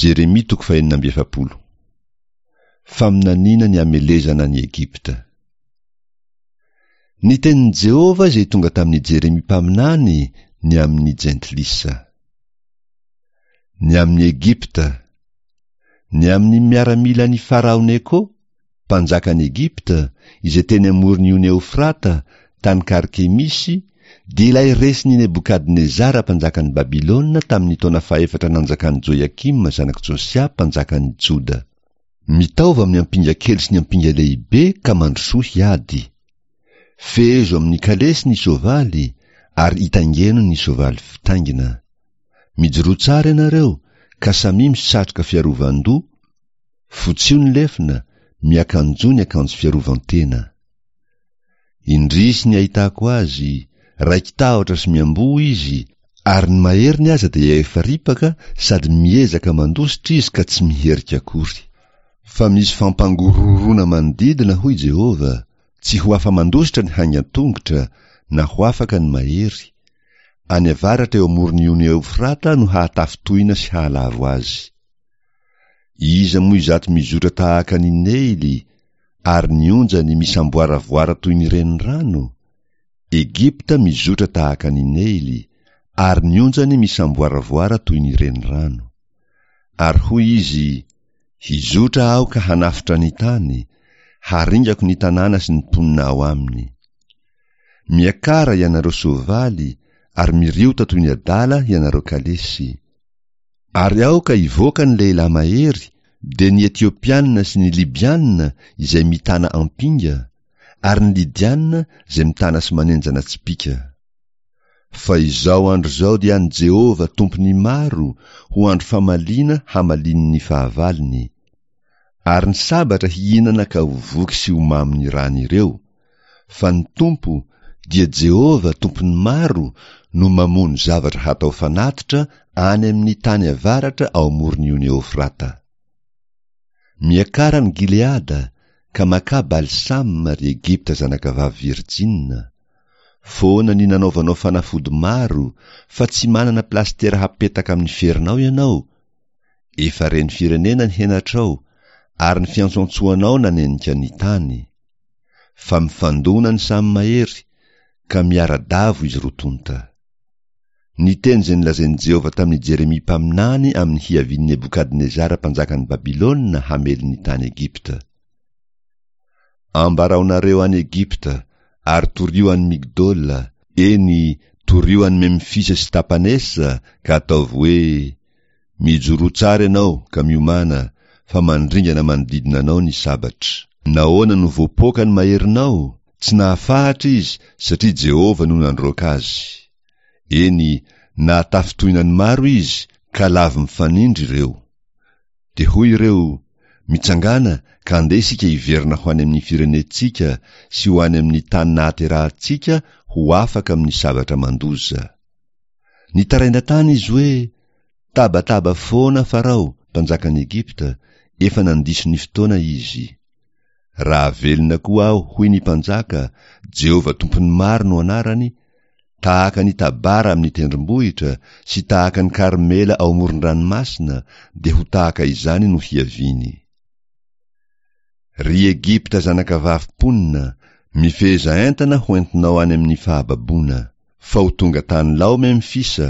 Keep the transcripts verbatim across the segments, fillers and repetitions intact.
Jeremia toko fahenina amby efapolo. Faminaniana ny hamelezana an'i Egypta. Ny tenin'i Jehovah izay tonga tamin'i Jeremia mpaminany ny amin'ny jentilisa. Ny amin'i Egypta. Ny amin'ny miaramilan'i Farao Neko, mpanjakan'i Egypta, izay teny amoron'ny ony Eofrata, tany Karkemisy, dia ilay resin'i Nebokadnezara mpanjakan'i Babylona tamin'ny taona fahefatra nanjakan'i Joiakima zanak'i Josia mpanjakan'i Joda. Mitaova amin'ny ampinga kely sy ny ampinga lehibe ka mandrosoa hiady. Fehezo amin'ny kalesy ny soavaly ary itaingeno ny soavaly fitaingina. Mijoroa tsara ianareo ka samia misatroka fiarovan-doha, fotsio ny lefona, miakanjoa ny akanjo fiarovan-tena. Indrisy ny ahitako azy, raiki-tahotra sy miamboho izy, ary ny maheriny aza dia efa ripaka sady miezaka mandositra izy ka tsy miherika akory. Fa misy fampangorohoroana manodidina, hoy Jehovah, tsy ho afa-mandositra ny haingan-tongotra, na ho afaka ny mahery. Any avaratra eo amoron'ny ony Eofrata no hahatafintohina sy hahalavo azy. Iza moa izato mizotra tahaka ny Neily, ary ny onjany misamboaravoara toy ny renirano? Egypta mizotra tahaka ny Neily, ary ny onjany misamboaravoara toy ny renirano. Ary hoy izy, Hizotra aho ka hanafotra ny tany, haringako ny tanàna sy ny mponina ao aminy. Miakara ianareo soavaly, ary miriota toy ny adala ianareo kalesy. Ary aoka hivoaka ny lehilahy mahery, dia ny Etiopiana sy ny Libiana izay mitana ampinga, ary ny Lydiana izay mitana sy manenjana tsipìka. Fa izao andro izao dia an'i Jehovah Tompon'ny maro ho andro famaliana hamaliany ny fahavalony. Ary ny sabatra hihinana ka ho voky sy ho mamo ny ràn'ireo. Fa ny Tompo, dia Jehovah Tompon'ny maro, no mamono zavatra hatao fanatitra any amin'ny tany avaratra ao amoron'ny ony Eofrata. Miakara any Gileada, ka makà balsama, ry Egypta zanakavavy virjina. Foana ny nanaovanao fanafody maro, fa tsy manana plastera hapetaka amin'ny ferinao ianao. Efa ren'ny firenena ny henatrao, ary ny fiantsoantsoanao nanenika ny tany. Fa mifandona ny samy mahery, ka miara-davo izy roa tonta. Ny teny izay nolazain'i Jehovah tamin'i Jeremia mpaminany amin'ny hiavian'i Nebokadnezara mpanjakan'i Babylona hamely ny tany Egypta. Ambaraonareo any Egypta, ary torio any Migdola, eny, torio any Memfisa sy Tapanesa, ka ataovy hoe, Mijoroa tsara ianao ka miomàna, fa mandringana manodidina anao ny sabatra. Nahoana no voapoaka ny maherinao? Tsy nahafahatra izy, satria Jehovah no nandroaka azy. Eny, nahatafintohina ny maro izy, ka lavo mifanindry ireo. Dia hoy ireo, Mitsangàna ka andeha isika hiverina ho any amin'ny firenentsika sy ho any amin'ny tany nahaterahantsika ho afaka amin'ny sabatra mandoza. Nitaraina tany izy hoe, Tabataba foana Farao, mpanjakan'i Egypta, efa nandiso ny fotoana izy. Raha velona koa aho, hoy ny mpanjaka, Jehovah Tompon'ny maro no anarany, tahaka ny Tabara amin'ny tendrombohitra sy tahaka ny Karmela ao amoron-dranomasina, dia ho tahaka izany no hiaviany. Ry Egypta zanakavavy mponina, mifeheza entana ho entinao any amin'ny fahababoana. Fa ho tonga tany lao Memfisa,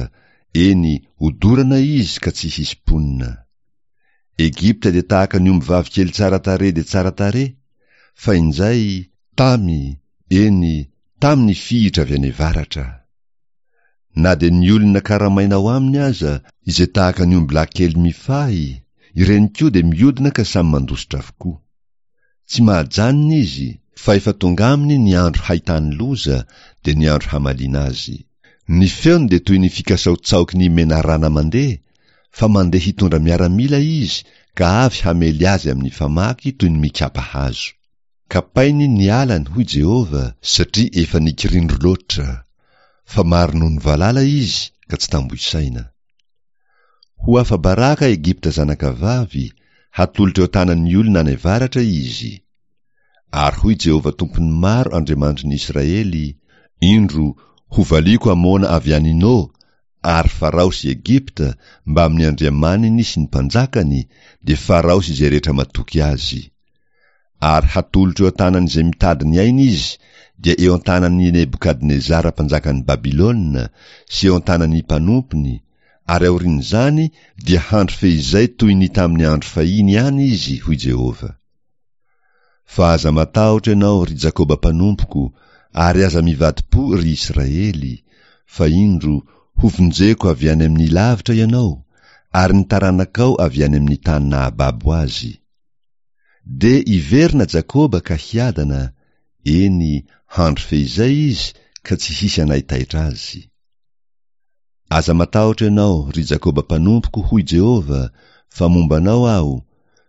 eny, hodorana izy ka tsy hisy mponina. Egypta dia tahaka ny ombivavy kely tsara tarehy dia tsara tarehy, fa injay, tamy, eny, tamy ny fihitra avy any avaratra. Na dia ny olona karamaina ao aminy aza, izay tahaka ny ombilahy kely mifahy, ireny koa dia miodina ka samy mandositra avokoa. Tsy mahajanona izy, fa efa tonga aminy ny andro hahitany loza, dia ny andro hamaliana azy. Ny feony dia toy ny fikasaotsaoky ny menarana mandeha, fa mandeha hitondra miaramila izy ka avy hamely azy amin'ny famaky toy ny mikapa hazo. Kapainy ny alany, hoy Jehovah, satria efa nikirindro loatra. Fa maro noho ny valala izy ka tsy tambo isaina. Ho afa-baraka Egypta zanakavavy, hatolotra eo an-tanan'ny olona any avaratra izy. Ary hoy Jehovah Tompon'ny maro Andriamanitry ny Israely, Indro, hovaliako Amona avy any No, Ary Farao sy Egypta mbamin'ny andriamaniny sy ny mpanjakany, dia Farao sy izay rehetra matoky azy. Ary hatolotro eo an-tanan'izay mitady ny ainy izy, dia eo an-tanan'i Nebokadnezara mpanjakan'i Babylona sy eo an-tanan'ny mpanompony, ary aorian'izany dia handry feizay toy ny tamin'ny andro fahiny ihany izy, hoy Jehovah. Fa aza matahotra ianao, ry Jakoba mpanompoko, ary aza mivadi-po, ry Israely, fa indro, hovonjeko avy any amin'ny lavitra ianao, ary ny taranakao avy any amin'ny tany nahababo azy. Dia hiverina Jakoba ka hiadana, eny, handry feizay izy ka tsy hisy hanaitaitra azy. Aza matahotra ianao, ry Jakoba mpanompoko, hoy Jehovah, fa momba anao Aho,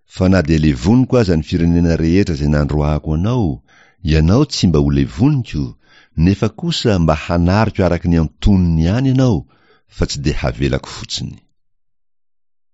fa na dia levoniko aza ny firenena rehetra izay nandroahako anao, ianao tsy mba ho levoniko, nefa kosa mba hanariko araka ny antonony ihany ianao, fa tsy dia havelako fotsiny.